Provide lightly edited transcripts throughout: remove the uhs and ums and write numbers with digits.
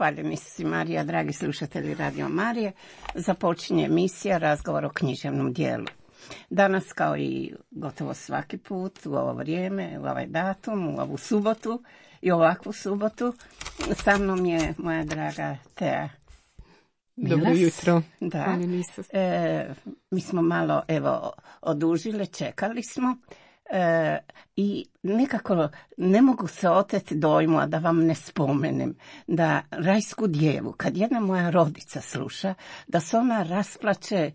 Hvaljeni si Marija, dragi slušatelji Radio Marije. Započinje emisija Razgovor o književnom dijelu. Danas, kao i gotovo svaki put, u ovo vrijeme, u ovaj datum, u ovu subotu i ovakvu subotu, sa mnom je moja draga Tea Milas. Dobro jutro. Da. Mi smo malo, odužile, čekali smo. I nekako ne mogu se oteti dojmu, a da vam ne spomenem, da Rajsku djevu, kad jedna moja rodica sluša, da se ona rasplače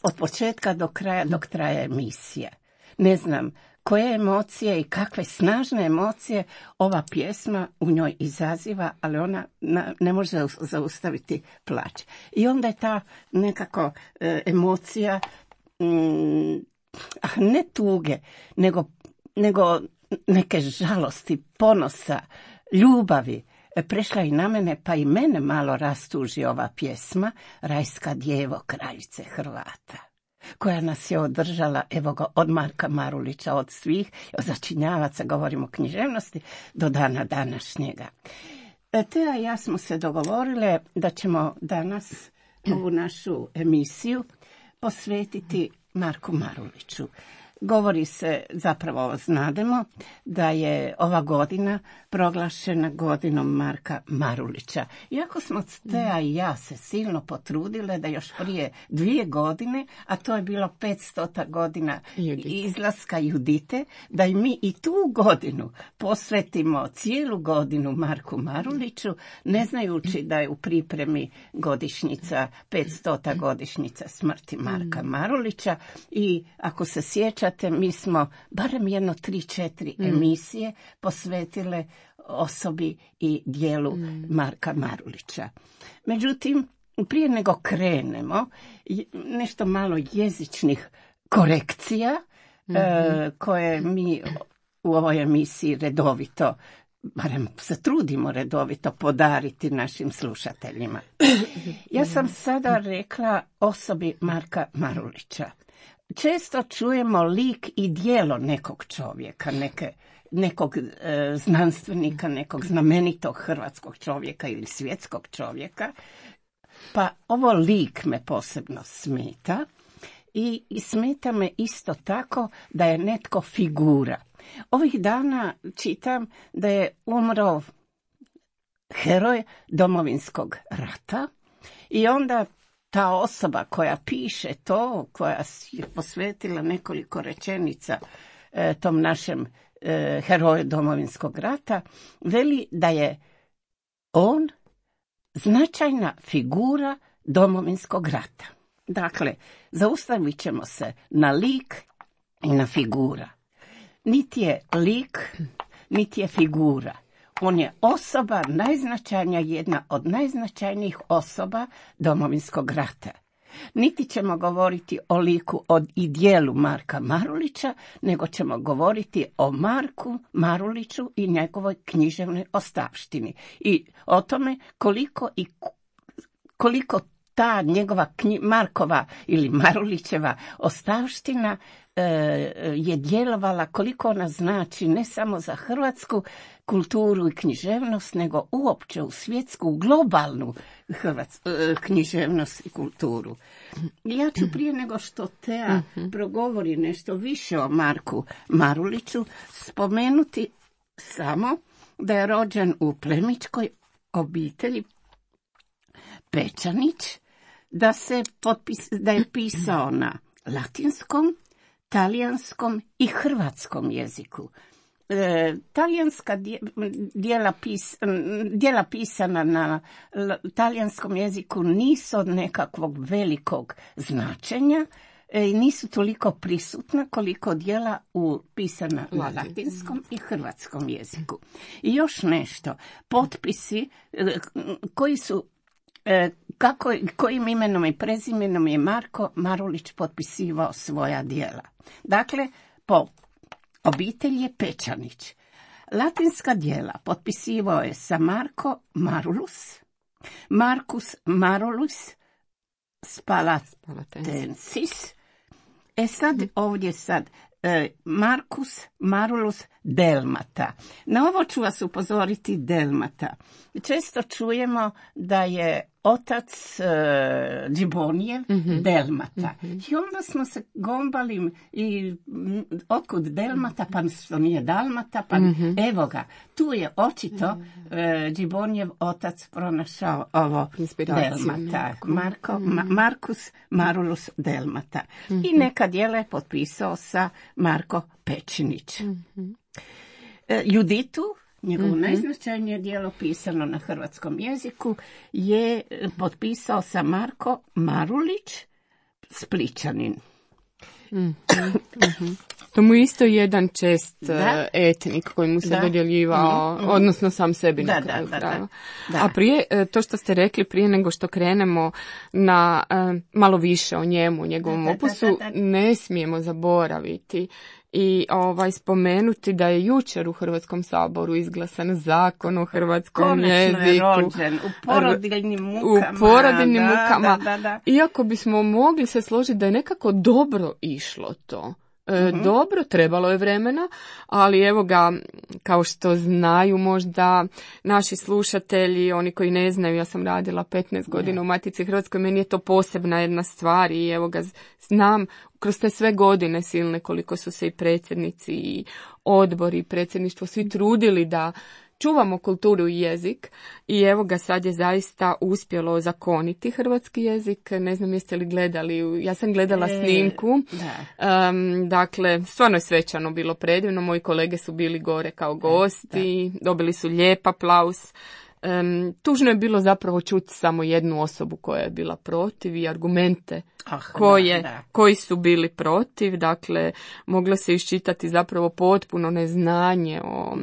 od početka do kraja, dok traje emisija. Ne znam koje emocije i kakve snažne emocije ova pjesma u njoj izaziva, ali ona ne može zaustaviti plać. I onda je ta nekako emocija, ne tuge, nego neke žalosti, ponosa, ljubavi prešla i na mene, pa i mene malo rastuži ova pjesma Rajska djevo, kraljice Hrvata, koja nas je održala, evo ga, od Marka Marulića, od svih, od začinjavaca, govorimo o književnosti, do dana današnjega. Tea i ja smo se dogovorile da ćemo danas ovu našu emisiju posvetiti Marku Maruliću. Govori se, zapravo znademo, da je ova godina proglašena godinom Marka Marulića. Iako smo Tea i ja se silno potrudile da još prije 2 godine, a to je bilo 500. godina izlaska Judite, da i mi i tu godinu posvetimo cijelu godinu Marku Maruliću, ne znajući da je u pripremi godišnjica, 500. godišnjica smrti Marka Marulića. I ako se sjećate, mi smo barem 3-4 emisije posvetile osobi i dijelu Marka Marulića. Međutim, prije nego krenemo, nešto malo jezičnih korekcija koje mi u ovoj emisiji redovito, barem se trudimo redovito podariti našim slušateljima. Ja sam sada rekla osobi Marka Marulića. Često čujemo lik i djelo nekog čovjeka, nekog znanstvenika, nekog znamenitog hrvatskog čovjeka ili svjetskog čovjeka, pa ovo lik me posebno smeta i smeta me isto tako da je netko figura. Ovih dana čitam da je umro heroj Domovinskog rata i onda ta osoba koja piše to, koja je posvetila nekoliko rečenica tom našem heroju Domovinskog rata, veli da je on značajna figura Domovinskog rata. Dakle, zaustavit ćemo se na lik i na figura. Niti je lik, niti je figura. On je osoba najznačajnija, jedna od najznačajnijih osoba Domovinskog rata. Niti ćemo govoriti o liku i dijelu Marka Marulića, nego ćemo govoriti o Marku Maruliću i njegovoj književnoj ostavštini. I o tome koliko ta njegova Markova ili Marulićeva ostavština je djelovala, koliko ona znači ne samo za hrvatsku kulturu i književnost, nego uopće u svjetsku, globalnu književnost i kulturu. Ja ću prije nego što Tea progovori nešto više o Marku Maruliću spomenuti samo da je rođen u plemićkoj obitelji Pečanić, da je pisao na latinskom, talijanskom i hrvatskom jeziku. Talijanska djela pisana na talijanskom jeziku nisu od nekakvog velikog značenja i nisu toliko prisutna koliko djela pisana na latinskom i hrvatskom jeziku. I još nešto, potpisi koji su kojim imenom i prezimenom je Marko Marulić potpisivao svoja djela. Dakle, po obitelji je Pečanić. Latinska djela potpisivao je sa Marko Marulus, Marcus Marulus Spalatensis. Ovdje Marcus Marulus Delmata. Na ovo ću vas upozoriti Delmata. Često čujemo da je otac Džibonijev Delmata. I onda smo se gombali i otkud Delmata, pa što nije Dalmata, pa evo ga. Tu je očito Džibonijev otac pronašao ovo Delmata. Marcus Marulus Delmata. I neka djela je potpisao sa Marko Pečinić. Juditu, njegovo najznačajnije djelo pisano na hrvatskom jeziku, je potpisao sa Marko Marulić, Splićanin. To mu isto jedan čest etnik koji mu se dodjeljivao, odnosno sam sebi na kraju krajeva. A prije, to što ste rekli, prije nego što krenemo na malo više o njemu, njegovom opusu, ne smijemo zaboraviti i spomenuti da je jučer u Hrvatskom saboru izglasan zakon o hrvatskom jeziku. Je rođen, u porodiljnim mukama. U porodiljnim mukama. Iako bismo mogli se složiti da je nekako dobro išlo to. Dobro, trebalo je vremena, ali evo ga, kao što znaju možda naši slušatelji, oni koji ne znaju, ja sam radila 15 godina u Matici Hrvatskoj, meni je to posebna jedna stvar i evo ga, znam kroz te sve godine silne koliko su se i predsjednici i odbori i predsjedništvo svi trudili da čuvamo kulturu i jezik i evo ga, sad je zaista uspjelo zakoniti hrvatski jezik. Ne znam jeste li gledali, ja sam gledala snimku. Dakle, stvarno je svečano bilo, predivno. Moji kolege su bili gore kao gosti, dobili su lijep aplauz. Tužno je bilo zapravo čuti samo jednu osobu koja je bila protiv i argumente koji su bili protiv. Dakle, moglo se iščitati zapravo potpuno neznanje o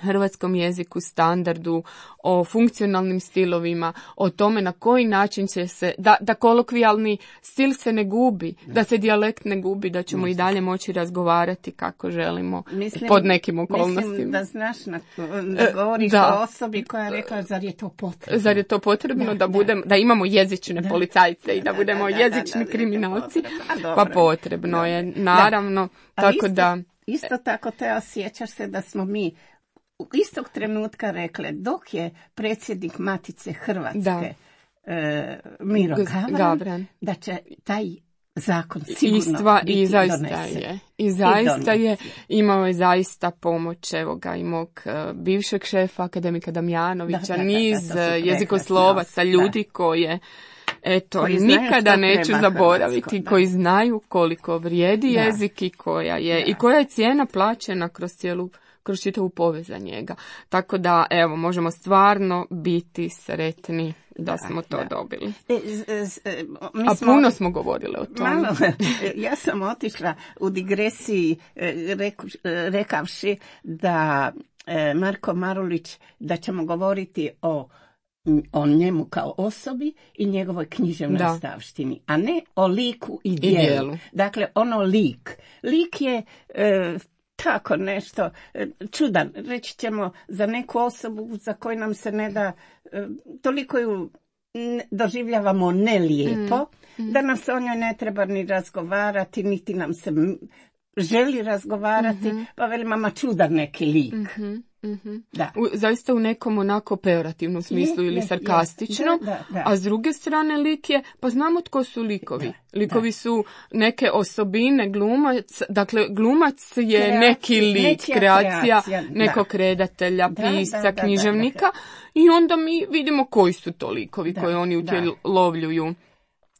hrvatskom jeziku, standardu, o funkcionalnim stilovima, o tome na koji način će se, da kolokvijalni stil se ne gubi, da se dijalekt ne gubi, da ćemo i dalje moći razgovarati kako želimo pod nekim okolnostima. Mislim da znaš, da govoriš o osobi koja je rekla, zar je to potrebno? Zar je to potrebno da imamo jezične policajce i da budemo jezični kriminalci? Pa potrebno je, naravno. Tako da... Isto tako, te osjećaš se da smo mi u istog trenutka rekle, dok je predsjednik Matice Hrvatske Miro Gavran, da će taj zakon sigurno biti donesen. I zaista je, imao je zaista pomoć, evo ga, i mog bivšeg šefa, akademika Damjanovića, niz jezikoslovaca, ljudi koje nikada neću zaboraviti, koji znaju koliko vrijedi jezik i koja je cijena plaćena kroz čitavu povijest za njega. Tako da, evo, možemo stvarno biti sretni da smo to dobili. A puno smo govorili o tome. Ja sam otišla u digresiji rekavši da Marko Marulić, da ćemo govoriti o njemu kao osobi i njegovoj književnoj stavštini, a ne o liku i djelu. Dakle, lik je tako nešto čudan. Reći ćemo za neku osobu za koju nam se ne da, toliko ju doživljavamo nelijepo, da nam se o njoj ne treba ni razgovarati, niti nam se želi razgovarati, pa velima, ma čudan neki lik. Zaista u nekom onako pejorativnom smislu ili sarkastično, a s druge strane lik je, pa znamo tko su likovi. Likovi su neke osobine, glumac, dakle glumac je neki lik, kreacija nekog redatelja, pisca, književnika i onda mi vidimo koji su to likovi koje oni utjelovljuju.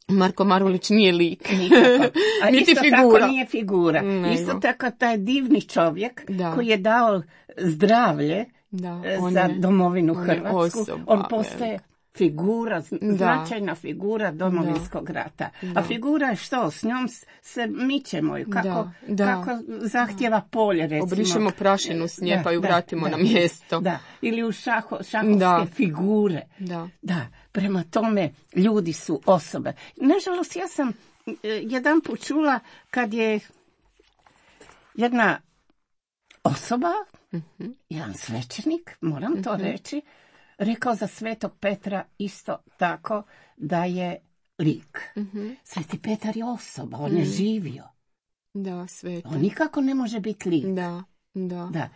Marko Marulić nije lik. A niti isto figura. Tako nije figura. Isto tako taj divni čovjek koji je dao zdravlje za domovinu Hrvatsku. On postaje figura, značajna figura Domovinskog rata. A figura je što? S njom se mičemo ju. Kako zahtjeva polje, recimo. Obrišemo prašinu s nje pa ju vratimo na mjesto. Ili u šahovske figure. Prema tome, ljudi su osobe. Nažalost, ja sam jedan put čula kad je jedna osoba, jedan svećenik, moram to reći, rekao za Svetog Petra isto tako da je lik. Sveti Petar je osoba, on je živio. Da, sveta. On nikako ne može biti lik. Da.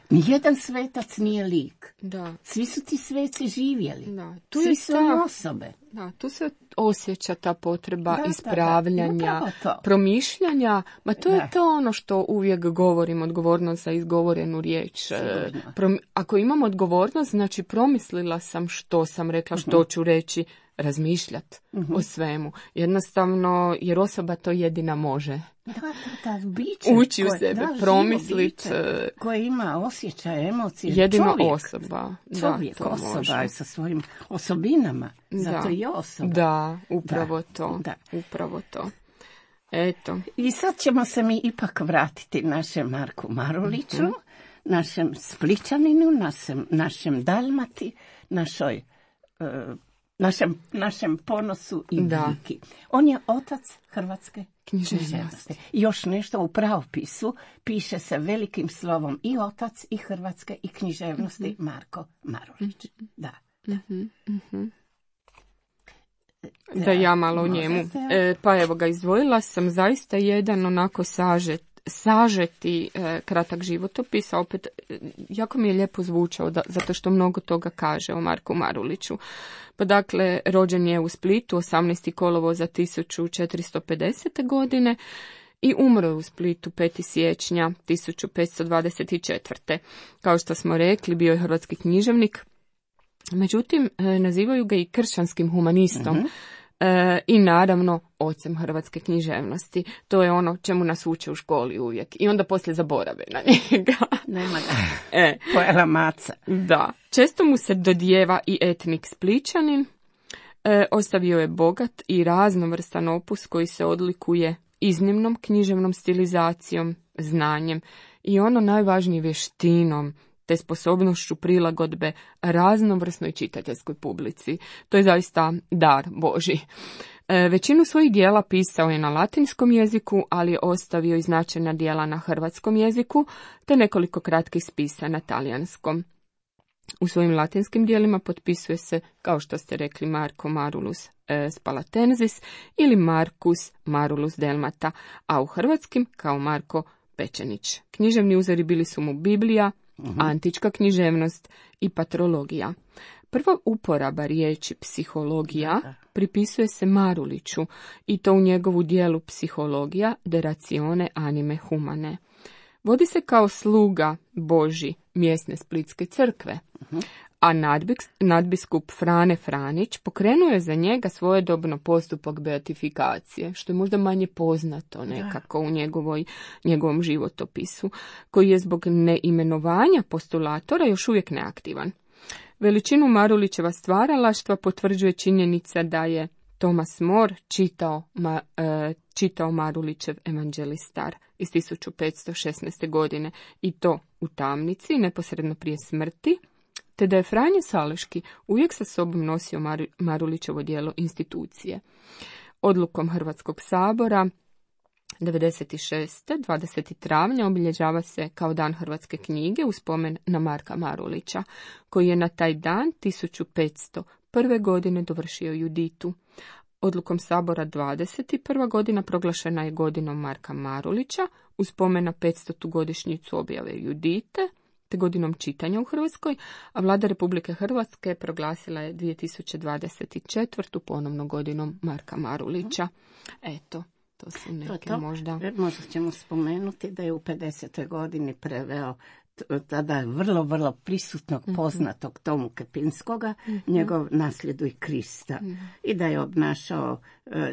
Nijedan svetac nije lik. Da. Svi su ti sveci živjeli. Da. Svi su osobe. Da, tu se osjeća ta potreba ispravljanja, da. promišljanja. Ma to je to ono što uvijek govorim, odgovornost za izgovorenu riječ. Ako imam odgovornost, znači promislila sam što sam rekla, što ću reći, razmišljati o svemu. Jednostavno, jer osoba to jedina može. Da, biće, ući u sebe, promisliti. Koje ima osjećaj, emocije. Jedino osoba. Čovjek, osoba sa svojim osobinama. Zato je osoba. Da, upravo to. Da. Upravo to. Eto. I sad ćemo se mi ipak vratiti našem Marku Maruliću, našem Splićaninu, našem Dalmati, našem ponosu i viki. On je otac hrvatske književnosti. Još nešto u pravopisu piše se velikim slovom i otac i hrvatske i književnosti Marko Marulić. Da. Da ja malo o njemu. Pa evo ga, izdvojila sam zaista jedan onako sažeti kratak životopis, a opet jako mi je lijepo zvučao zato što mnogo toga kaže o Marku Maruliću. Pa dakle, rođen je u Splitu 18. kolovoza 1450. godine i umro je u Splitu 5. siječnja 1524. Kao što smo rekli, bio je hrvatski književnik, međutim, nazivaju ga i kršćanskim humanistom. I naravno ocem hrvatske književnosti. To je ono čemu nas uče u školi uvijek. I onda poslije zaborave na njega. Nema ga. Pojela maca. Da. Često mu se dodijeva i etnik Splićanin. Ostavio je bogat i raznovrstan opus koji se odlikuje iznimnom književnom stilizacijom, znanjem i ono najvažnije vještinom te sposobnošću prilagodbe raznovrsnoj čitateljskoj publici. To je zaista dar Božji. Većinu svojih dijela pisao je na latinskom jeziku, ali je ostavio i značajna dijela na hrvatskom jeziku, te nekoliko kratkih spisa na talijanskom. U svojim latinskim dijelima potpisuje se, kao što ste rekli, Marko Marulus Spalatensis ili Marcus Marulus Delmata, a u hrvatskim kao Marko Pečenić. Književni uzori bili su mu Biblija, antička književnost i patrologija. Prva uporaba riječi psihologija pripisuje se Maruliću i to u njegovu dijelu Psihologija de ratione anime humane. Vodi se kao sluga Božji mjesne Splitske crkve, a nadbiskup Frane Franić pokrenuo je za njega svojedobno postupak beatifikacije, što je možda manje poznato nekako u njegovom životopisu, koji je zbog neimenovanja postulatora još uvijek neaktivan. Veličinu Marulićeva stvaralaštva potvrđuje činjenica da je Thomas More čitao Marulićev Evanđelistar iz 1516. godine i to u tamnici neposredno prije smrti, te da je Franje Saleški uvijek sa sobom nosio Marulićevo djelo Institucije. Odlukom Hrvatskog sabora 96. 20. travnja obilježava se kao dan hrvatske knjige u spomen na Marka Marulića, koji je na taj dan 1501. godine dovršio Juditu. Odlukom sabora 21. godina proglašena je godinom Marka Marulića u spomen na 500. godišnjicu objave Judite, te godinom čitanja u Hrvatskoj, a vlada Republike Hrvatske proglasila je 2024. ponovno godinom Marka Marulića. Eto, to su neke možda... Možda ćemo spomenuti da je u 50. godini preveo tada vrlo, vrlo prisutnog poznatog Tomu Kepinskoga, njegov Nasljeduj i Krista. I da je obnašao,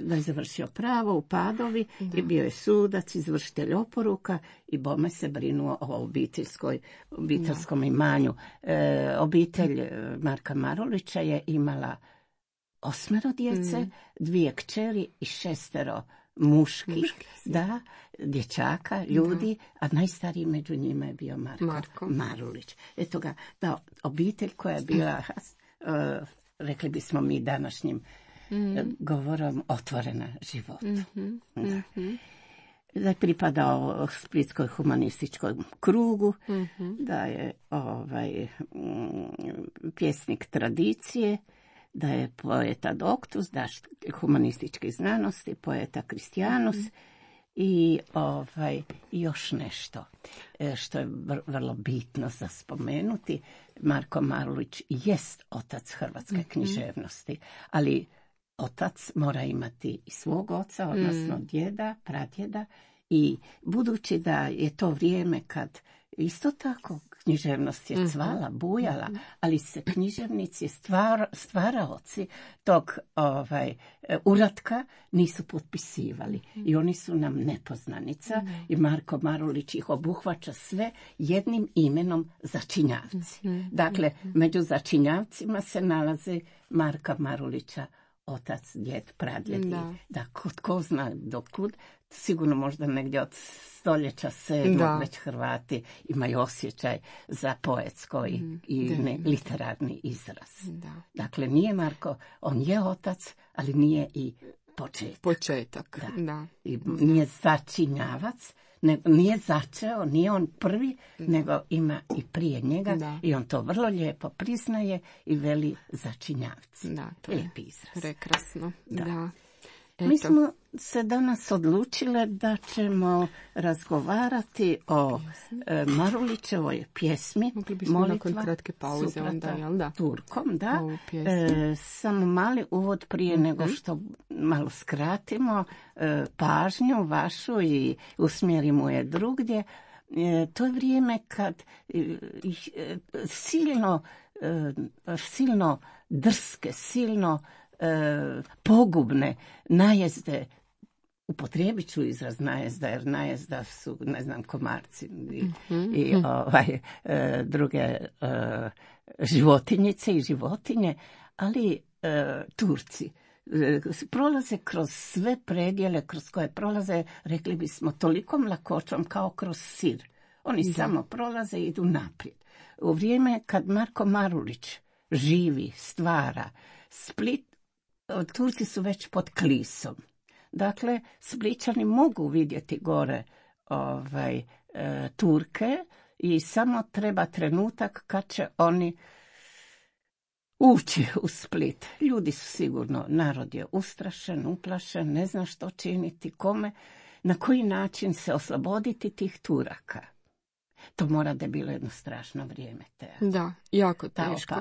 da je završio pravo u Padovi i bio je sudac, izvršitelj oporuka i bome se brinuo o obiteljskom imanju. Obitelj Marka Marulića je imala 8 djece, 2 kćeri i 6 muških, dječaka, ljudi, a najstariji među njima je bio Marko Marulić. Eto ga, ta obitelj koja je bila, rekli bismo mi današnjim govorom, otvorena životu. Da je pripadao Splitskoj humanističkom krugu, da je pjesnik tradicije, da je poeta doktus, da humanističkih znanosti, poeta Kristijanus I još nešto što je vrlo bitno za spomenuti. Marko Marulić jest otac hrvatske književnosti, ali otac mora imati i svog oca, odnosno djeda, pradjeda, i budući da je to vrijeme kad isto tako književnost je cvala, bujala, ali se književnici, stvaraoci tog uratka nisu potpisivali. I oni su nam nepoznanica i Marko Marulić ih obuhvaća sve jednim imenom začinjavci. Dakle, među začinjavcima se nalaze Marka Marulića otac, djed, pradjed. Da, ko zna dokud, sigurno možda negdje od stoljeća 7. već Hrvati imaju osjećaj za poetsko i literarni izraz. Dakle, nije Marko, on je otac, ali nije i početak. Da. I nije začinjavac, nije začeo, nije on prvi, nego ima i prije njega i on to vrlo lijepo priznaje i veli začinjavci. Da, to je lijepi izraz. Prekrasno. Da. Mi smo se danas odlučile da ćemo razgovarati o Marulićevoj pjesmi. Mogli bismo nakon kratke pauze onda, jel da? Turkom, da. Samo mali uvod prije nego što malo skratimo pažnju vašu i usmjerimo je drugdje. To je vrijeme kad silno drske, silno pogubne najezde, upotrijebit ću izraz najezda, jer najezda su, ne znam, komarci i druge životinjice i životinje, ali Turci prolaze kroz sve predjele kroz koje prolaze, rekli bismo, tolikom lakoćom kao kroz sir. Oni samo prolaze i idu naprijed. U vrijeme kad Marko Marulić živi, stvara, Split, Turci su već pod Klisom. Dakle, Splićani mogu vidjeti gore Turke i samo treba trenutak kad će oni ući u Split. Ljudi su sigurno, narod je ustrašen, uplašen, ne zna što činiti, kome, na koji način se osloboditi tih Turaka. To mora da je bilo jedno strašno vrijeme. Da, jako teško.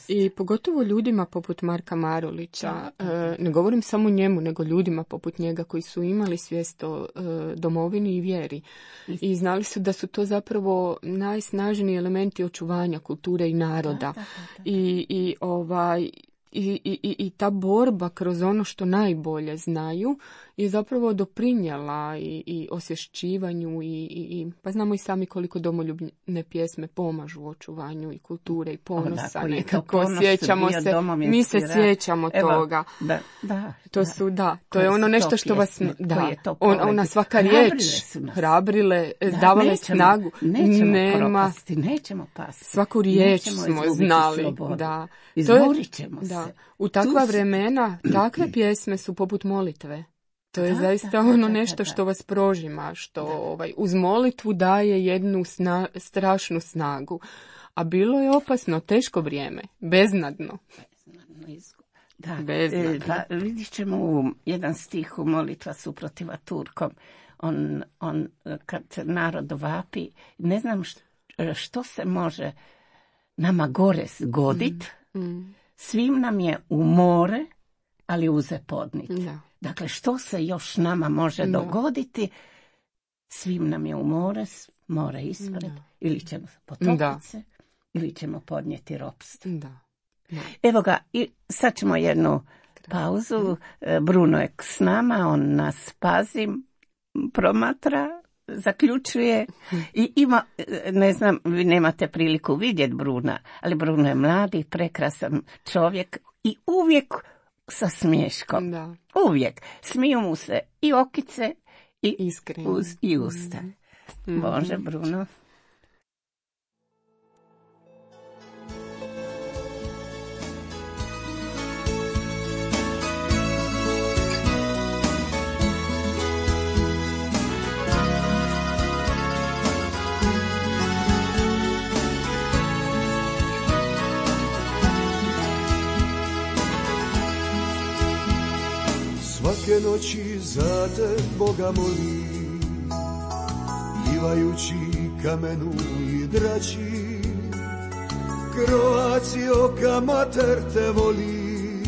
I pogotovo ljudima poput Marka Marulića, ne govorim samo njemu, nego ljudima poput njega koji su imali svijest o domovini i vjeri. I znali su da su to zapravo najsnažniji elementi očuvanja kulture i naroda. I ta borba kroz ono što najbolje znaju je zapravo doprinijela i osvješćivanju pa znamo i sami koliko domoljubne pjesme pomažu u očuvanju i kulture i ponosa. Nekako sjećamo se, mi se sjećamo toga. To je ono nešto što vas, ona svaka riječ hrabrile, davale snagu. Nećemo pasti. Svaku riječ smo znali. Izborit ćemo se. U takva vremena, takve pjesme su poput molitve. To je zaista ono nešto što vas prožima, što uz molitvu daje jednu strašnu snagu. A bilo je opasno, teško vrijeme, beznadno. Pa vidit ćemo jedan stih u Molitva suprotiva Turkom. On kad narod vapi, ne znam što se može nama gore zgodit, svim nam je u more, ali uze podnit. Dakle, što se još nama može dogoditi, svim nam je u more ispred, ili ćemo potopiti se, ili ćemo podnijeti ropstvo. Evo ga, i sad ćemo jednu pauzu. Bruno je s nama, on nas pazi, promatra, zaključuje i ima, ne znam, vi nemate priliku vidjeti Bruna, ali Bruno je mladi, prekrasan čovjek i uvijek sa smiješkom. Uvijek. Smiju mu se i okice i usta. Bože, Bruno. Svake noći za te Boga molim, plivajući kamenu i drači. Croatio, ka mater te voli,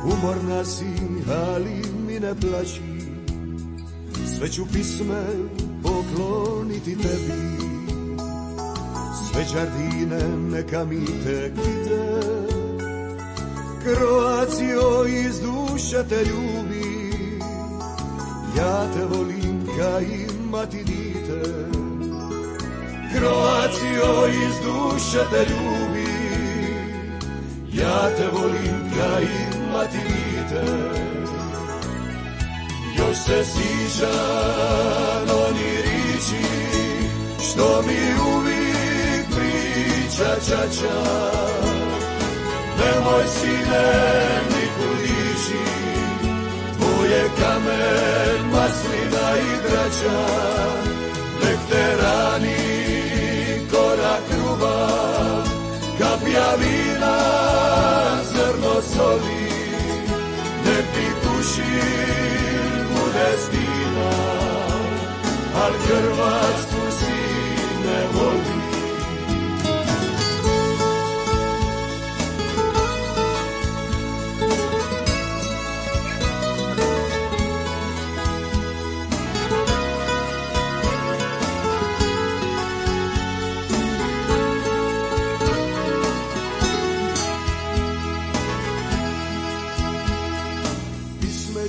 umorna si, ali mi ne plaći. Sve ću pisme pokloniti tebi, sve đardine neka mi te kite. Croatio, iz duše te ljubi, ja te volim ka imati dite. Croatio, iz duše te ljubi, ja te volim ka imati dite. Još se sjećam oni riči, što mi uvijek priča čača. Nemoj sine nikud ići, tvoje kamen, maslina i drača. Nek te rani korak ljubav, kapija vina, zrno soli. Nek ti kušin bude stina, al Hrvatsku si ne voli.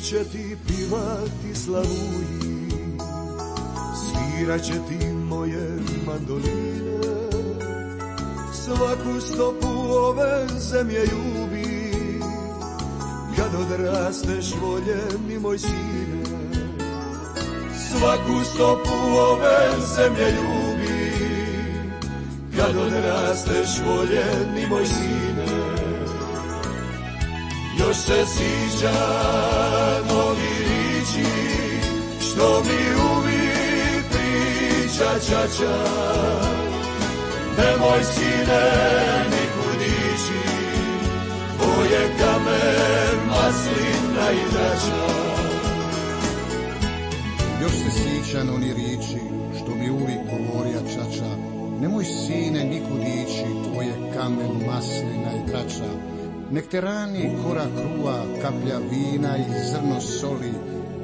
Će ti pivati slavuji, svirat će ti moje mandoline. Svaku stopu ove zemlje ljubi, kad odrasteš voljen mi moj sine. Svaku stopu ove zemlje ljubi, kad odrasteš voljen mi moj sine. Još se sjećam ovi riči, što mi uvijek priča čača. Nemoj sine nikud ići, tvoje kamen, maslina i drača. Još se sjećam oni riči, što mi uvijek govorija čača. Nemoj sine nikud ići, tvoje kamen, maslina i drača. Nek te rani korak kruva, kaplja vina i zrno soli.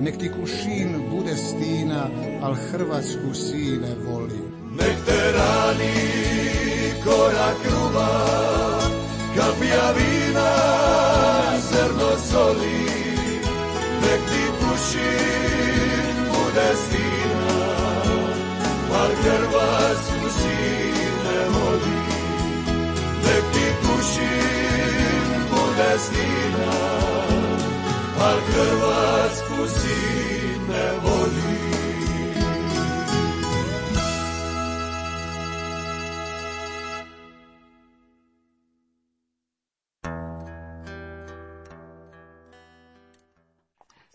Nek ti kušin bude stina, al Hrvatsku sine voli. Nek te rani korak kruva, kaplja vina, zrno soli. Nek ti kušin bude stina, al Hrvatsku sine voli. Nek ti kušin bude stina, al Hrvatsku sine voli.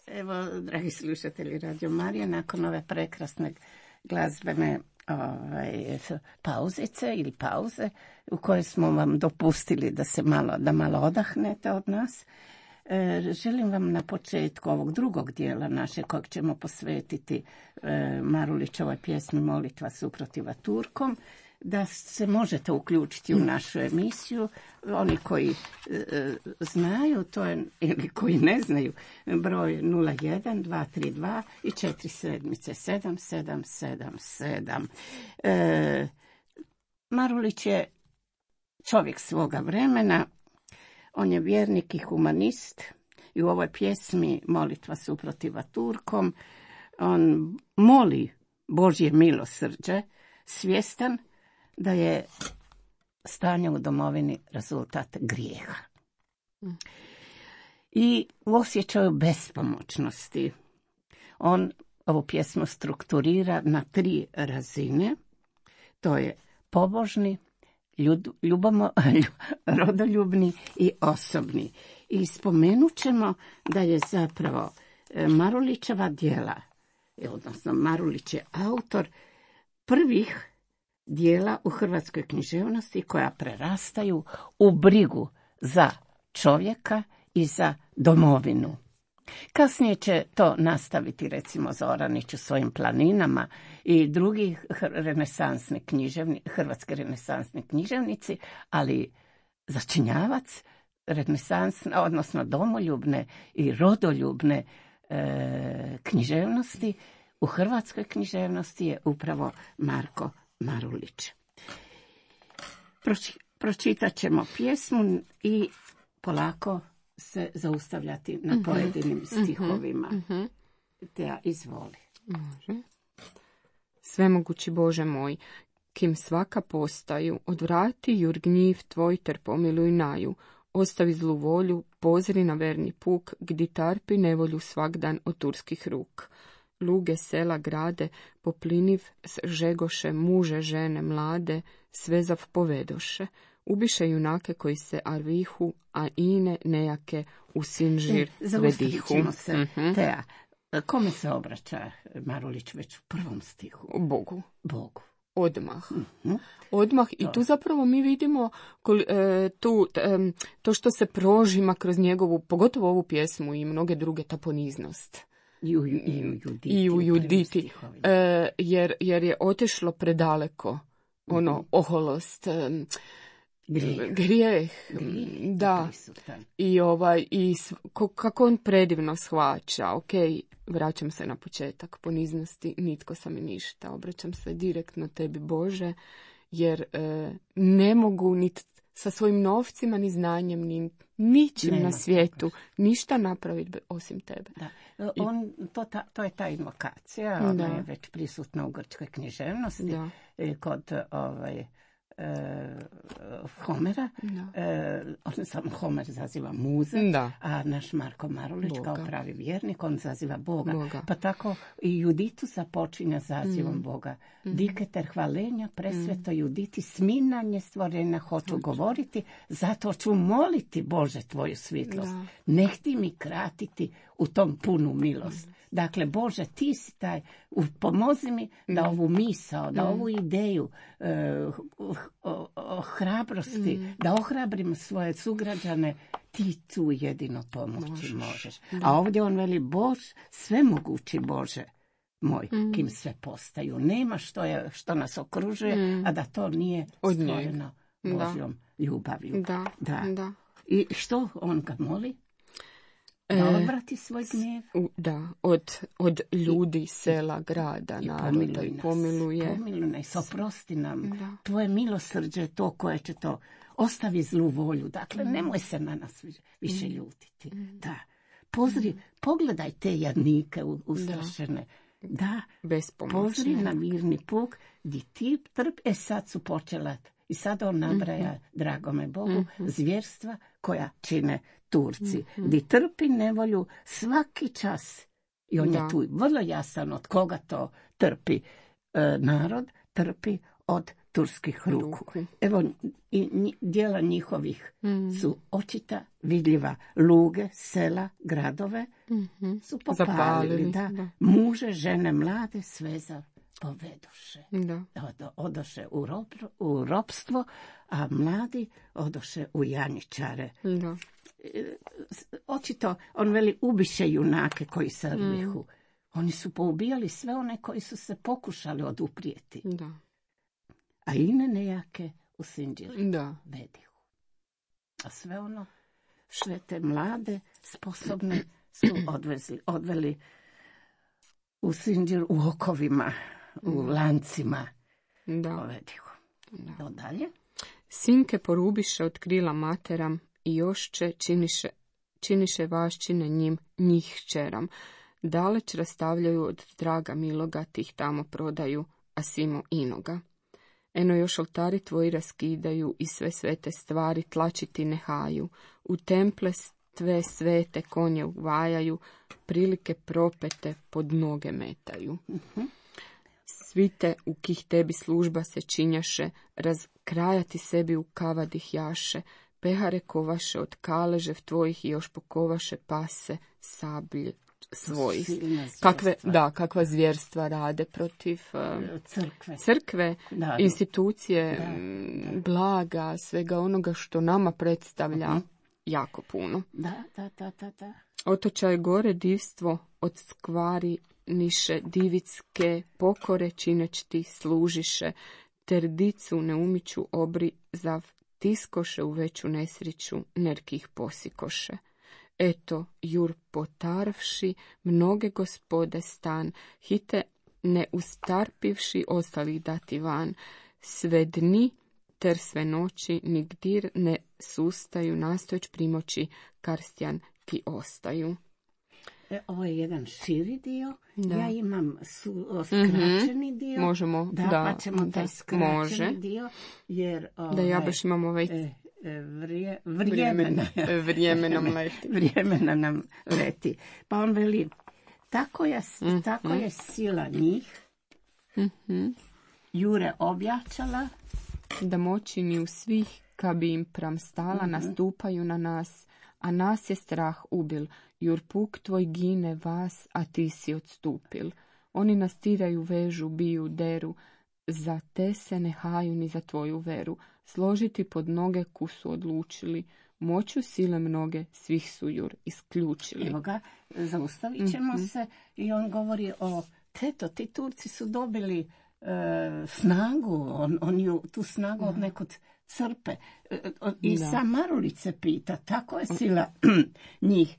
Evo, dragi slušatelji Radio Marije, nakon ove prekrasne glazbene pauzice ili pauze u kojoj smo vam dopustili da malo odahnete od nas, želim vam na početku ovog drugog dijela naše kojeg ćemo posvetiti Marulićevoj pjesmi Molitva suprotiva Turkom, da se možete uključiti u našu emisiju. Oni koji znaju, to je, ili koji ne znaju, broj 01 232 i 477777. Marulić je čovjek svoga vremena, on je vjernik i humanist i u ovoj pjesmi Molitva suprotiva Turkom on moli Božje milosrđe, svjestan da je stanje u domovini rezultat grijeha. I u osjećaju bespomoćnosti on ovu pjesmu strukturira na 3 razine. To je pobožni, rodoljubni i osobni. I spomenut ćemo da je zapravo Marulićeva djela, odnosno Marulić je autor prvih dijela u hrvatskoj književnosti koja prerastaju u brigu za čovjeka i za domovinu. Kasnije će to nastaviti, recimo, Zoranić u svojim planinama i drugi hrvatski renesansni književnici, ali začinjavac renesansne, odnosno domoljubne i rodoljubne književnosti u hrvatskoj književnosti je upravo Marko Marulić. Pročitat ćemo pjesmu i polako se zaustavljati na pojedinim stihovima. Te ja izvoli. Može. Svemogući Bože moj, kim svaka postaju, odvrati jur gnjiv tvoj ter pomiluj naju, ostavi zlu volju, pozri na verni puk, gdje tarpi nevolju svak dan od turskih ruk. Luge, sela, grade, popliniv žegoše, muže, žene, mlade, svezav povedoše. Ubiše junake koji se arvihu, a ine nejake u sinžir vedihu. Zaustavit ćemo se, Teja. Kome se obraća Marulić već u prvom stihu? Bogu. Odmah. Mm-hmm. Odmah. I tu zapravo mi vidimo to što se prožima kroz njegovu, pogotovo ovu pjesmu i mnoge druge, ta poniznost. I u Juditi. Jer je otišlo predaleko. Oholost, grijeh. Da. I kako on predivno shvaća. Ok, vraćam se na početak poniznosti, nitko sam i ništa. Obraćam se direktno tebi, Bože, jer ne mogu ni sa svojim novcima, ni znanjem, ni ničim na svijetu ništa napraviti osim tebe. Da. To je ta invokacija, ona je već prisutna u grčkoj književnosti, kod Homera. On samo Homer zaziva muze, a naš Marko Marulić kao pravi vjernik, on zaziva Boga. Pa tako i Juditu započinja zazivom Boga. Diketer hvalenja, presveto Juditi, sminanje stvorenja hoću govoriti, zato ću moliti, Bože, tvoju svjetlost. Nehti mi kratiti u tom punu milost. Dakle, Bože, ti si taj, pomozi mi da ovu misao, da ovu ideju hrabrosti, da ohrabrim svoje sugrađane, ti tu jedino pomoći možeš. A ovdje on veli, svemogući Bože moj, kim sve postaju. Nema što nas okružuje, a da to nije stvoreno Božjom ljubavlju. Da. I što on ga moli? Da odvrati svoj gnjev. Od ljudi, sela, grada, naroda i pomiluje. Pomiluj nas, oprosti nam. Tvoje milosrđe je to koje će to, ostavi zlu volju. Dakle, nemoj se na nas više ljutiti. Da. Pogledaj te jadnike ustrašene. Da, pozri na mirni puk, di ti trpi. Sad su počela, i sad on nabraja, dragome Bogu, zvjerstva koja čine Turci, di trpi nevolju svaki čas. I on je tu vrlo jasan od koga to trpi. Narod trpi od turskih ruku. Evo, i djela njihovih su očita, vidljiva. Luge, sela, gradove su popalili. Da. Muže, žene, mlade, sveza povedoše. Odoše u ropstvo, a mladi odoše u janjičare. Očito, on veli, ubiše junake koji se rvihu. Oni su poubijali sve one koji su se pokušali oduprijeti. A ine nejake u sinđir vedihu. A sve te mlade, sposobne su odveli u sinđir u okovima, u lancima vedihu. Dalje. Sinke porubiše od krila materam i jošće činiše vaščine njih kćeram. Daleć rastavljaju od draga miloga, tih tamo prodaju, a simo inoga. Eno još oltari tvoji raskidaju i sve svete stvari tlačiti nehaju. U temple tve svete konje uvajaju, prilike propete pod noge metaju. Svite u kih tebi služba se činjaše, razkrajati sebi u kavadih jaše, pehare kovaše od kaležev tvojih i još pokovaše pase sablje svojih. Kakva zvjerstva rade protiv crkve, institucije, blaga, svega onoga što nama predstavlja jako puno. Da. Otočaj gore divstvo od skvari niše divicke pokore čineć ti služiše, ter dicu ne umiću obri zav tiskoše u veću nesriću nerkih posikoše. Eto, jur potarvši mnoge gospode stan, hite ne ustarpivši ostali dati van, sve dni ter sve noći nigdir ne sustaju nastojeć primoći karstjan ki ostaju. Ovo je jedan širi dio, da. Ja imam skraćeni dio. Možemo, pa ćemo taj skraćeni dio, jer... da ja baš imam ovaj... Vrijeme nam leti. Pa on veli, tako je sila njih, Jure objačala, da moći ni u svih, ka bi im pram stala, nastupaju na nas, a nas je strah ubil, jur puk tvoj gine vas, a ti si odstupil. Oni nas tiraju, vežu, biju, deru, za te se ne haju ni za tvoju veru. Složiti pod noge kusu odlučili, moću sile mnoge svih su jur isključili. Evo ga, zaustavit ćemo se i on govori o teto, ti Turci su dobili snagu, oni tu snagu od nekog crpe. I sam Marulić se pita, tako je sila njih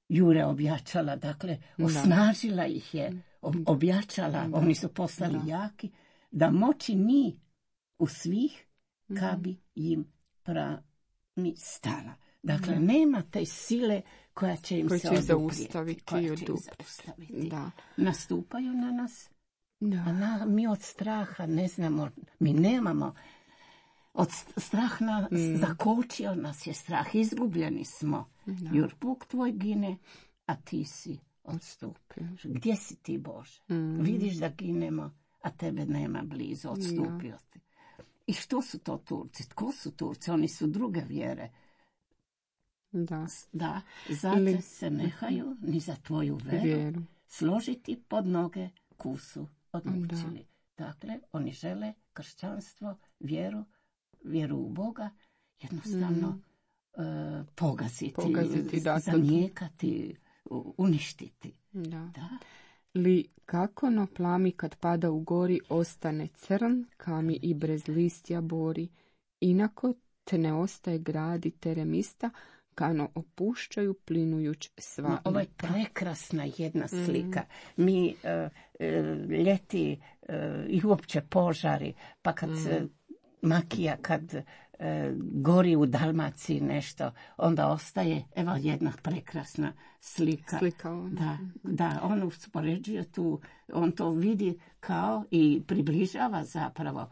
Jure objačala, dakle, osnažila ih je, objačala, oni su postali jaki, da moći ni u svih, ka bi im prami stala. Dakle, nema te sile koja će im se zaustaviti. Da. Nastupaju na nas, a mi od straha ne znamo, mi nemamo. Od strah zakočio nas je strah, izgubljeni smo. Jur puk tvoj gine, a ti si odstupio. Gdje si ti, Bože? Vidiš da ginemo, a tebe nema blizu, odstupio ti. I što su to Turci? Tko su Turci? Oni su druge vjere. Da, zato se nehaju ni za tvoju veru složiti pod noge kusu odlučili. Dakle, oni žele kršćanstvo, vjeru u Boga, jednostavno pogaziti, zanijekati, uništiti. Da. Li kako no plami kad pada u gori ostane crn, kami i brez listja bori, inako te ne ostaje gradi teremista, kano opušćaju plinujuć sva. Ovo je prekrasna jedna slika. Mi ljeti i uopće požari, pa kad makija, kad gori u Dalmaciji nešto, onda ostaje, evo jedna prekrasna slika. Da, on uspoređuje tu, on to vidi kao i približava zapravo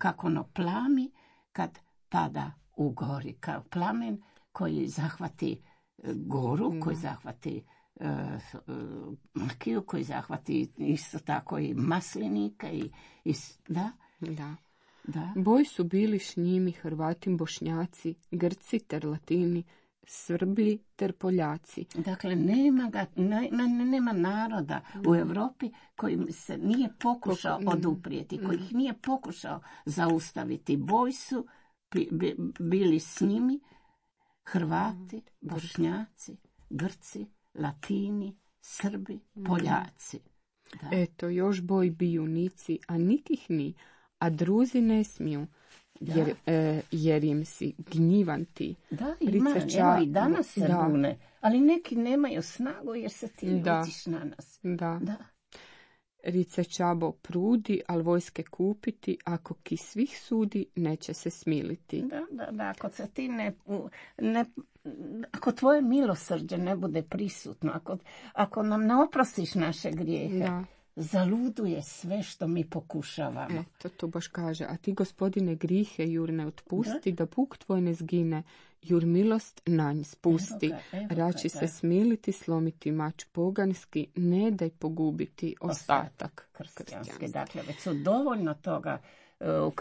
kako ono plami kad pada u gori, kao plamen koji zahvati goru, koji zahvati makiju, koji zahvati isto tako i maslinike Da. Boj su bili s njimi Hrvatim, Bošnjaci, Grci ter Latini, Srbi ter Poljaci. Dakle, nema naroda u Europi koji se nije pokušao oduprijeti, koji ih nije pokušao zaustaviti. Boj su bili s njimi Hrvati, Bošnjaci, Grci, Latini, Srbi, Poljaci. Da. Eto, još boj biju nici, a nikih ni, a druzi ne smiju, jer im si gnjivan ti. Da, ima, evo i danas se bune, ali neki nemaju snagu jer se ti utiš na nas. Da. Rice Čabo prudi, al vojske kupiti, ako ki svih sudi, neće se smiliti. Da, ako se ti ako tvoje milosrđe ne bude prisutno, ako nam ne oprostiš naše grijehe, zaluduje sve što mi pokušavamo. To baš kaže, a ti, Gospodine, grihe jur ne otpusti, da puk tvoj ne zgine, jur milost na nj spusti. Rači se smiliti, slomiti mač poganski, ne daj pogubiti ostatak kršćanski. Dakle, već su dovoljno toga u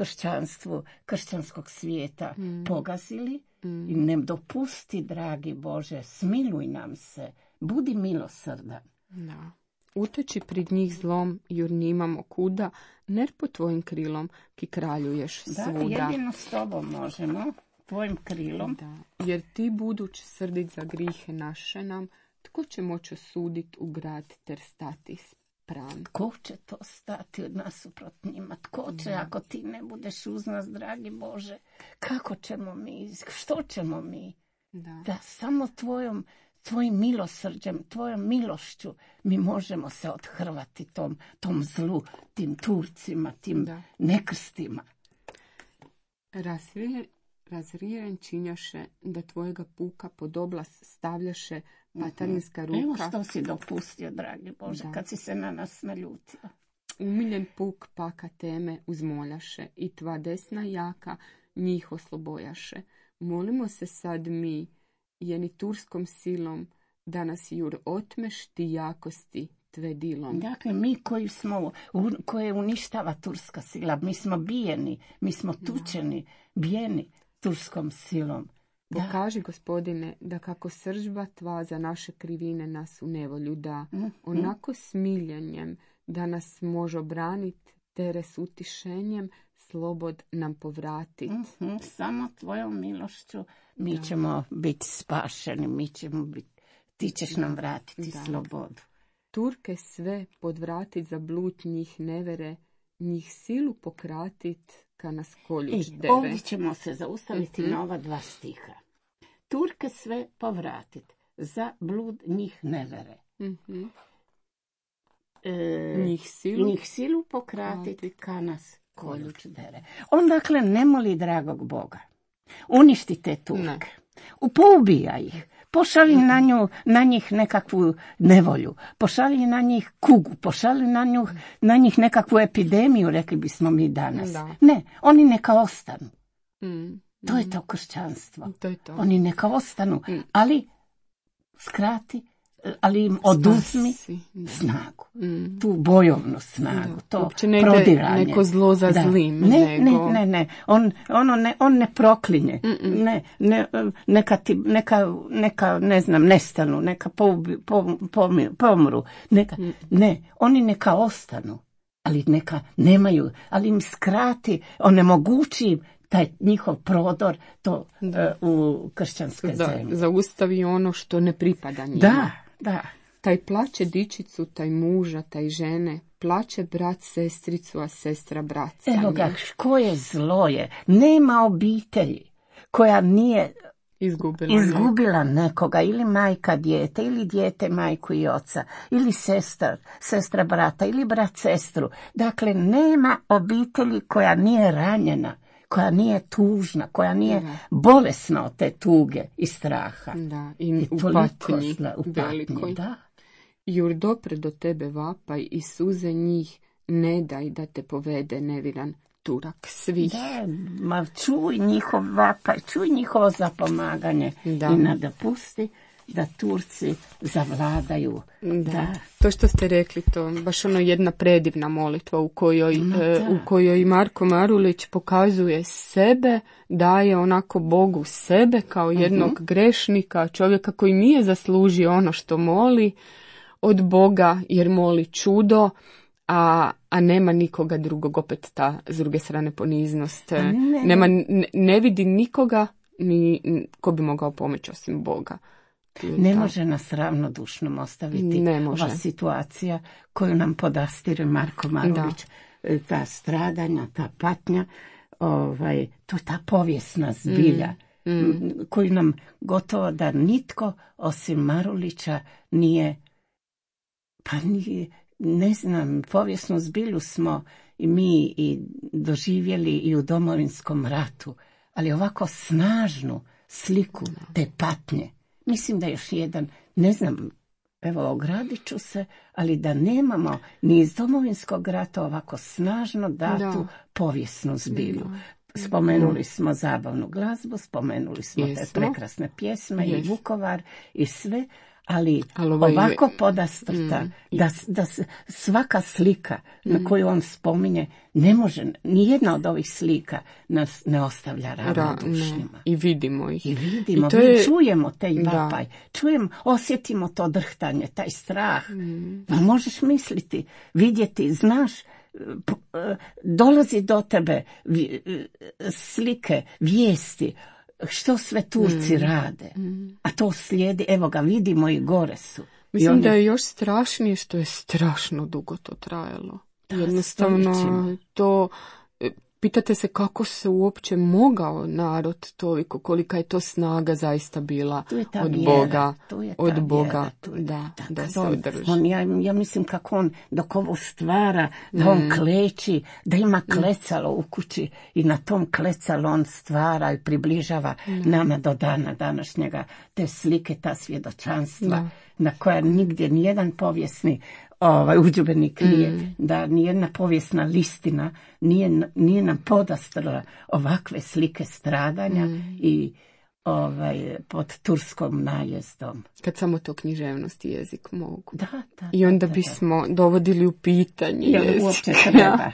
kršćanskog svijeta pogazili i ne dopusti, dragi Bože, smiluj nam se, budi milosrdan. Da. Uteći prid njih zlom, jur nimamo kuda, ner po tvojim krilom ki kraljuješ svuda. Da, jedino s tobom možemo tvojim krilom. Da, jer ti buduć srdit za grihe naše nam, tko će moći osuditi u grad ter stati spram? Tko će to stati od nasuprot njima? Tko će, ako ti ne budeš uz nas, dragi Bože? Kako ćemo mi? Što ćemo mi? Da samo tvojim milosrđem, tvojom milošću mi možemo se odhrvati tom zlu, tim Turcima, tim nekrstima. Razrijen činjaše da tvojega puka pod oblas stavljaše patarinska ruka. Evo što si dopustio, dragi Bože, kad si se na nas naljutio. Umiljen puk paka teme uzmoljaše i tva desna jaka njih oslobojaše. Molimo se sad mi, jeni turskom silom, da nas jur otmeš ti jakosti tve dilom. Dakle, mi koje uništava turska sila, mi smo bijeni, mi smo tučeni, bijeni turskom silom. Pokaži, Gospodine, da kako sržba tva za naše krivine nas u nevolju da, onako smiljenjem da nas može obraniti, tere s utišenjem slobod nam povratit. Samo tvojom milošću mi ćemo biti spašeni, ti ćeš nam vratiti slobodu. Turke sve podvratit za blut njih nevere, njih silu pokratit ka nas koljuć dere. Ovdje ćemo se zaustaviti na ova 2 stiha. Turke sve povratit za blud njih nevere. Njih silu pokratit ka nas koljuć dere. On dakle ne moli dragog Boga. Uništi te Turke. Poubija ih. Pošalji na njih nekakvu nevolju. Pošalji na njih kugu. Pošalji na njih nekakvu epidemiju, rekli bismo mi danas. Ne, oni neka ostanu. To je to kršćanstvo. Oni neka ostanu, ali skrati, ali im oduzmi snagu. Tu bojovnu snagu, to prodiranje. Neko zlo za zlim. Ne. On ne proklinje. Neka ne znam, nestanu, neka pomru. Oni neka ostanu, ali neka nemaju, ali im skrati, onemogući taj njihov prodor u kršćanske zemlje. Zaustavi ono što ne pripada njima. Da. Taj plaće dičicu, taj muža, taj žene, plaće brat sestricu, a sestra brat. Evo ga, koje zlo je. Nema obitelji koja nije izgubila nekoga, ili majka dijete, ili dijete majku i oca, ili sestra brata, ili brat sestru. Dakle, nema obitelji koja nije ranjena, koja nije tužna, koja nije bolesna od te tuge i straha. I u patnji. Jur dopre do tebe vapaj i suze njih ne daj da te povede neviran Turak svih. Čuj njihov vapaj, čuj njihovo zapomaganje i nadopusti da Turci zavladaju. To što ste rekli, to baš jedna predivna molitva u kojoj Marko Marulić pokazuje sebe, daje onako Bogu sebe kao jednog grešnika, čovjeka koji nije zaslužio ono što moli od Boga, jer moli čudo, a nema nikoga drugog, opet ta s druge strane poniznost. Ne vidi nikoga ko bi mogao pomoći osim Boga. Ne može nas ravnodušnom ostaviti ova situacija koju nam podastire Marko Marulić. Ta stradanja, ta patnja, to je ta povijesna zbilja koju nam gotovo da nitko osim Marulića nije, ne znam, povijesnu zbilju smo i mi i doživjeli i u Domovinskom ratu, ali ovako snažnu sliku te patnje. Mislim da još jedan, ne znam, evo ogradit ću se, ali da nemamo ni iz Domovinskog rata ovako snažno datu povijesnu zbilju. Spomenuli smo zabavnu glazbu, spomenuli smo te prekrasne pjesme i Vukovar i sve, ali ovako podastrta da svaka slika na koju on spominje ne može, nijedna od ovih slika nas ne ostavlja ravnodušnjima. I vidimo ih. Čujemo taj vapaj, osjetimo to drhtanje, taj strah. Možeš misliti, vidjeti, znaš, dolazi do tebe slike, vijesti, što sve Turci rade. A to slijedi, evo ga, vidimo i gore su. Mislim da je još strašnije što je strašno dugo to trajalo. Jednostavno to... Pitate se kako se uopće mogao narod toliko, kolika je to snaga zaista bila od Boga. Od Boga, da se održi. Ja mislim kako on, dok ovo stvara, da on kleči, da ima klecalo u kući i na tom klecalo on stvara i približava nama do dana današnjega te slike, ta svjedočanstva, na koja nigdje nijedan povijesni udžbenik nije, da nijedna povijesna listina nije nam podastrla ovakve slike stradanja i pod turskom najezdom. Kad samo to književnost i jezik mogu. I onda bismo dovodili u pitanje jezik. Uopće treba.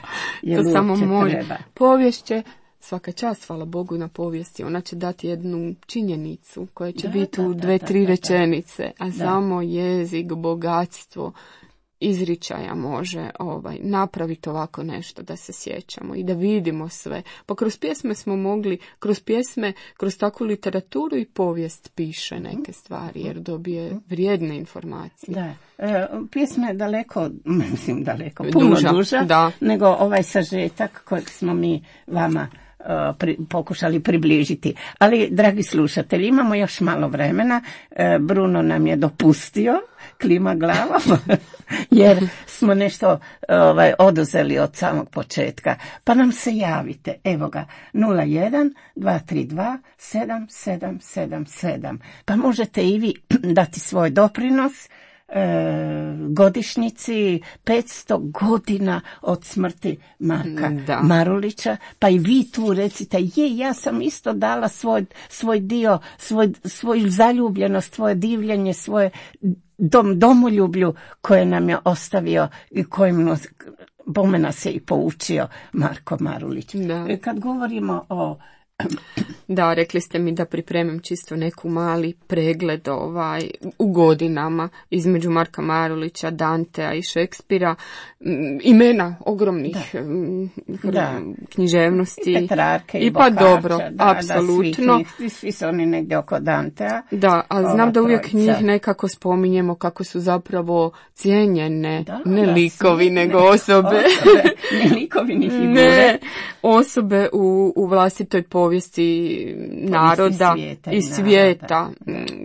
To samo može. Povijest će, svaka čast, hvala Bogu na povijesti, ona će dati jednu činjenicu koja će biti u 2-3 rečenice, a samo jezik, bogatstvo izričaja može napraviti ovako nešto da se sjećamo i da vidimo sve. Pa kroz pjesme smo mogli, kroz takvu literaturu i povijest piše neke stvari jer dobije vrijedne informacije. Da. Pjesma je puno duža nego ovaj sažetak kojeg smo mi vama pokušali približiti. Ali, dragi slušatelji, imamo još malo vremena. Bruno nam je dopustio, klima glavom, jer smo nešto oduzeli od samog početka. Pa nam se javite. Evo ga, 01 232 7777. Pa možete i vi dati svoj doprinos godišnjici 500 godina od smrti Marka Marulića, pa i vi tu recite, ja sam isto dala svoj dio, svoju zaljubljenost, svoje divljenje, svoje domoljublju koje nam je ostavio i kojim bome nas je i poučio Marko Marulić. Kad govorimo o... Da, rekli ste mi da pripremim čisto neku mali pregled u godinama između Marka Marulića, Dantea i Šekspira, imena ogromnih književnosti. I Petrarke i pa dobro, apsolutno. Svi su oni negdje oko Dantea. Da, a znam da uvijek njih nekako spominjemo kako su zapravo cijenjene, ne likovi, nego osobe. Ne likovi, ni figure. Ne, osobe u vlastitoj povijesti naroda i svijeta.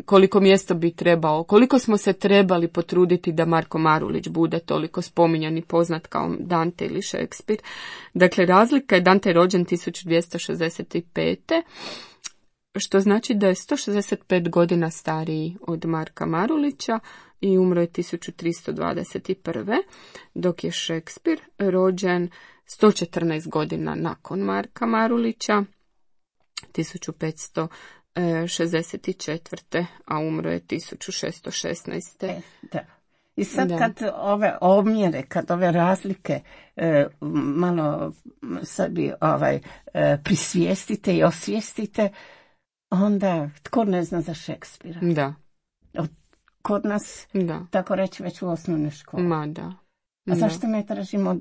Koliko mjesto bi trebao, koliko smo se trebali potruditi da Marko Marulić bude toliko spominjan i poznat kao Dante ili Šekspir. Dakle, razlika je, Dante je rođen 1265. što znači da je 165 godina stariji od Marka Marulića i umro je 1321. dok je Šekspir rođen 114 godina nakon Marka Marulića, 1564. a umro je 1616. Da. I sad kad ove omjere, kad ove razlike malo sebi prisvijestite i osvijestite, onda tko ne zna za Šekspira? Da. Kod nas, tako reći, već u osnovnoj školi. A zašto ne tražimo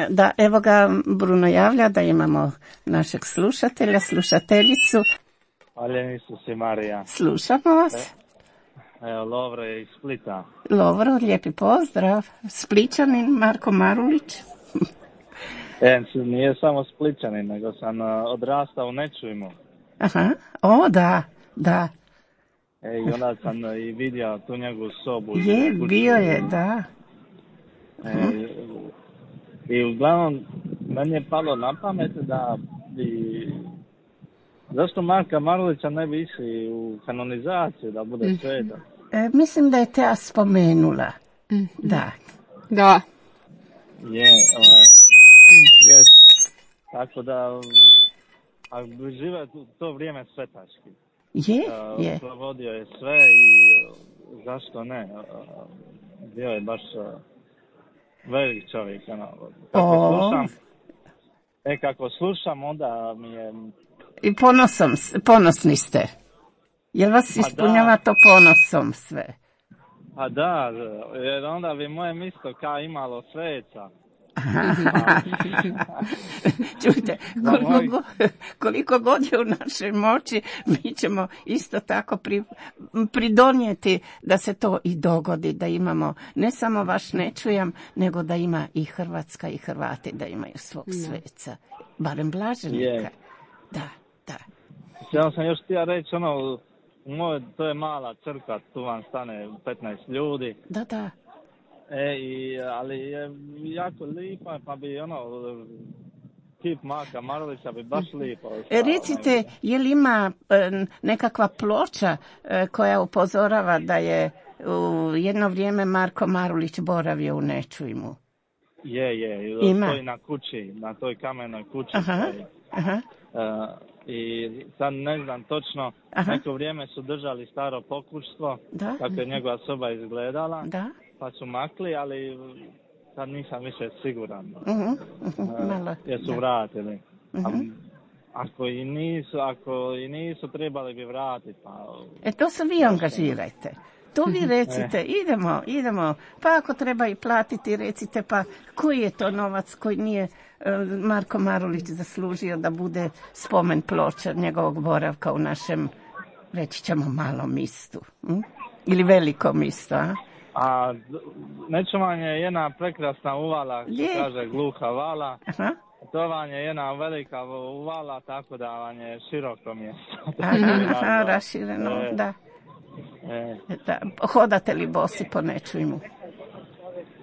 da, evo ga, Bruno javlja da imamo našeg slušatelja, slušateljicu. Hvala Isus i Marija. Slušamo vas. Evo, Lovro je iz Splita. Lovro, lijepi pozdrav. Splićanin Marko Marulić. Nije samo Splićanin, nego sam odrastao u Nečujmu. Aha, da. I onda sam i vidio tu njegovu sobu. Bio je, da. I uglavnom, meni je palo na pamet da bi... Zašto Marka Marulića ne bi išli u kanonizaciju, da bude svetan? Mislim da je Tea spomenula. Da. Je. Tako da, ako bi živio to vrijeme svetaški. Je. Provodio je sve i zašto ne? Bio je baš velik čovjek. Kako slušam, onda mi je... I ponosni ste. Jel vas ispunjava to ponosom sve? A da, jer onda bi moje mjesto kao imalo sveca. Čujte, koliko god je u našoj moći, mi ćemo isto tako pridonijeti da se to i dogodi, da imamo ne samo vaš Ne čujem, nego da ima i Hrvatska i Hrvati da imaju svog sveca. Barem blaženika. Da. Ja sam još htio reći, to je mala crkva, tu vam stane 15 ljudi. Da. Ali je jako lipa, pa bi kip Marka Marulića bi baš lipo. Recite, je li ima nekakva ploča koja upozorava da je u jedno vrijeme Marko Marulić boravio u Ne čujmu? Je. Ima. Stoji na kući, na toj kamenoj kući. Aha. I sad ne znam točno, neko vrijeme su držali staro pokućstvo, kako je njegova soba izgledala, pa su makli, ali sad nisam više siguran. Jer su vratili. Ako i nisu, trebali bi vratiti. To se vi angažirajte. To vi recite, idemo, pa ako treba i platiti, recite, pa koji je to novac koji nije Marko Marulić zaslužio da bude spomen ploča njegovog boravka u našem, reći ćemo, malom mistu. Ili velikom mistu, A Ne čujem je jedna prekrasna uvala, kaže Gluha vala. To vam je jedna velika uvala, tako da vam je široko mjesto. Rašireno, da. Hodate li bosi po Ne čujmu?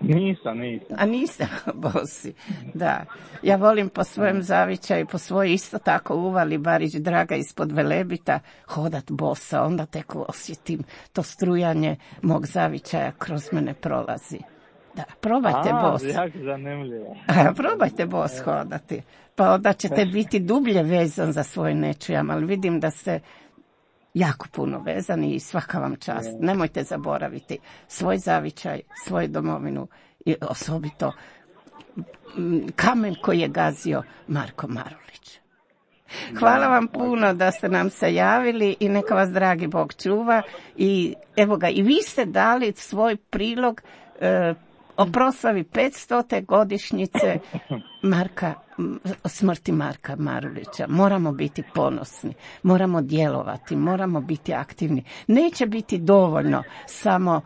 Nisam. A nisam bosi, da. Ja volim po svojem zavičaju, po svoj isto tako uvali Barić Draga ispod Velebita hodat bosa, onda tek osjetim to strujanje mog zavičaja kroz mene prolazi. Da, probajte bos. Jako zanimljivo. Probajte bos hodati, pa onda ćete biti dublje vezan za svoj Ne čujem, ali vidim da ste jako puno vezani i svaka vam čast. Nemojte zaboraviti svoj zavičaj, svoju domovinu i osobito kamen koji je gazio Marko Marulić. Hvala vam puno da ste nam se javili i neka vas dragi Bog čuva. I evo ga, i vi ste dali svoj prilog o proslavi 500. godišnjice smrti Marka Marulića. Moramo biti ponosni, moramo djelovati, moramo biti aktivni. Neće biti dovoljno samo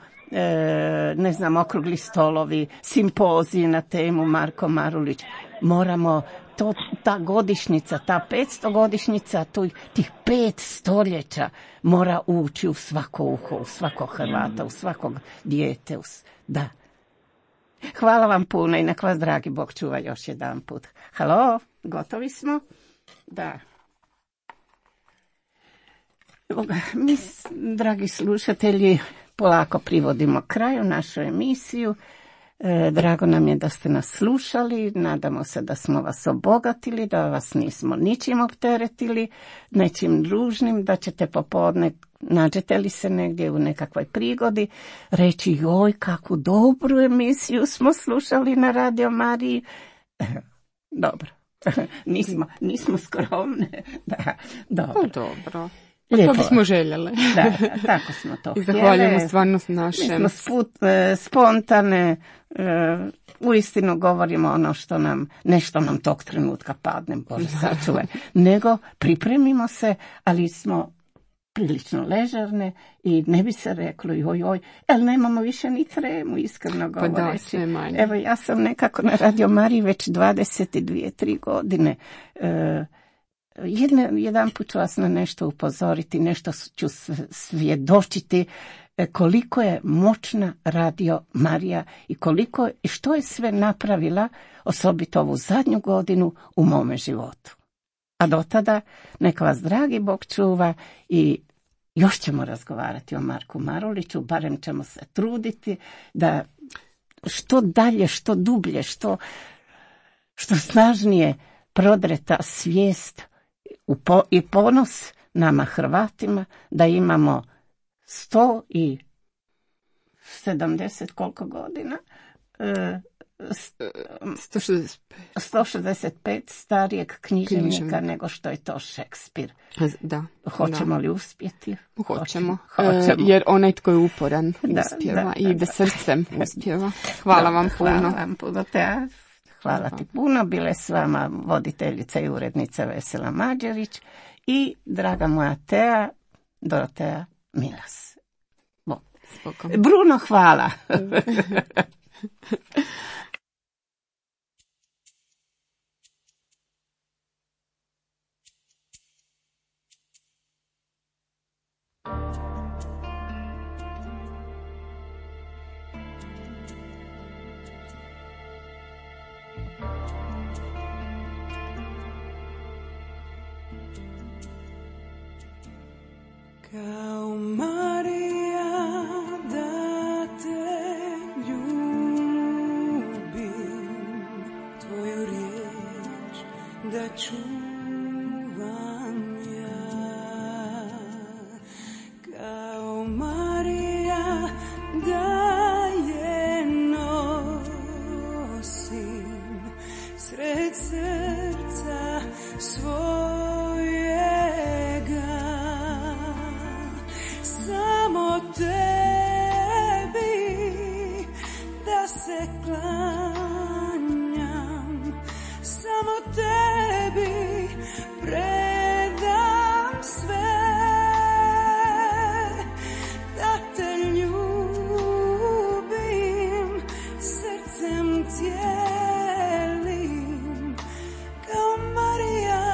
okrugli stolovi, simpoziji na temu Marko Marulić. Moramo ta godišnjica, ta 500 godišnjica, tih 5 stoljeća mora ući u svako uho, u svakog Hrvata, u svakog dijete. Da. Hvala vam puno i nek vas dragi Bog čuva još jedan put. Halo, gotovi smo? Da. Mi, dragi slušatelji, polako privodimo kraju našu emisiju. Drago nam je da ste nas slušali, nadamo se da smo vas obogatili, da vas nismo ničim opteretili, nečim ružnim, da ćete popodne, nađete li se negdje u nekakvoj prigodi, reći joj kakvu dobru emisiju smo slušali na Radio Mariji. Dobro, nismo skromne. Da, dobro. Dobro. Lijepo. To bismo željeli. Da, tako smo to htjeli. I zahvaljujemo stvarno našem. Mi smo spontane, uistinu govorimo ono što nešto nam tog trenutka padne, Bože sačuvaj, nego pripremimo se, ali smo prilično ležerne i ne bi se reklo joj, ali nemamo više ni tremu, iskreno govoreći. Pa da, sve manje. Evo, ja sam nekako na Radio Mariji već 22-3 godine. Jedan put ću vas na nešto upozoriti, nešto ću svjedočiti koliko je moćna Radio Marija i što je sve napravila, osobito ovu zadnju godinu u mome životu. A do tada neka vas dragi Bog čuva i još ćemo razgovarati o Marku Maruliću, barem ćemo se truditi da što dalje, što dublje, što snažnije prodreta svijest i ponos nama Hrvatima da imamo 170 koliko godina? 165 starijeg književnika nego što je to Šekspir. Da. Hoćemo li uspjeti? Hoćemo. Jer onaj tko je uporan uspjeva i da srcem uspjeva. Hvala vam puno. Hvala vam puno. Hvala ti puno. Bile s vama voditeljica i urednica Vesela Mađerić i draga moja Tea, Dorotea Milas. Bruno, hvala. Kao Marija da te ljubim, tvoju riječ da čuvam ja. Kao Marija da je nosim sred srca svojega. Tebi da se klanjam, samo tebi predam sve, da te ljubim srcem cijelim, kao Marija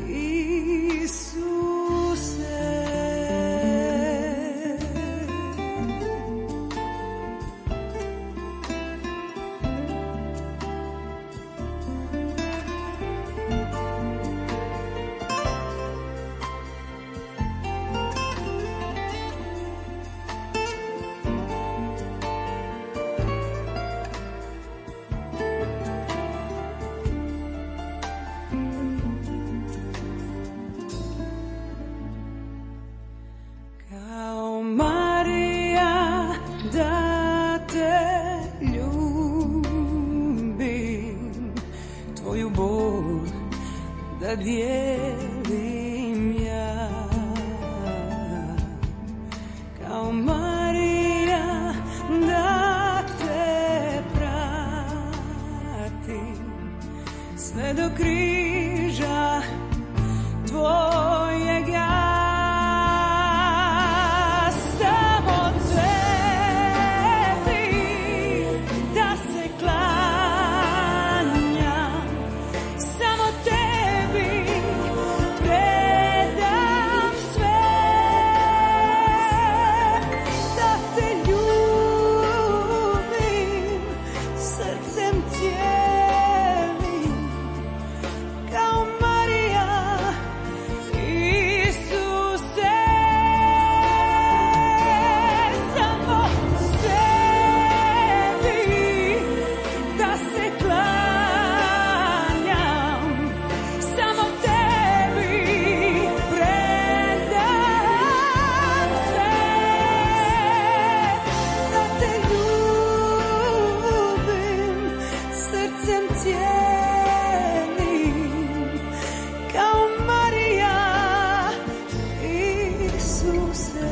Isuse. Da dijelim ja, kao Marija da te pratim sve do križa tvojega. Samo tebi da se klanjam, samo tebi predam sve, da te ljubim srcem cijelim, kao Marija Isuse. Samo tebi da se klanjam, samo tebi predam sve, da te ljubim srcem cijelim, kao Marija Isuse.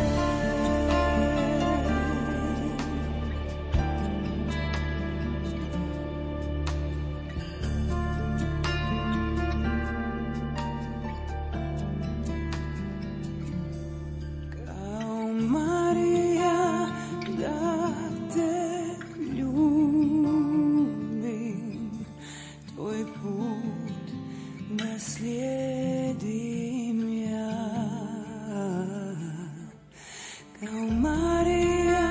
Kao Marija da te ljubim, tvoj put da slijedim ja. Kao Marija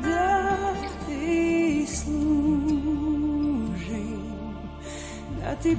da ti služim, da ti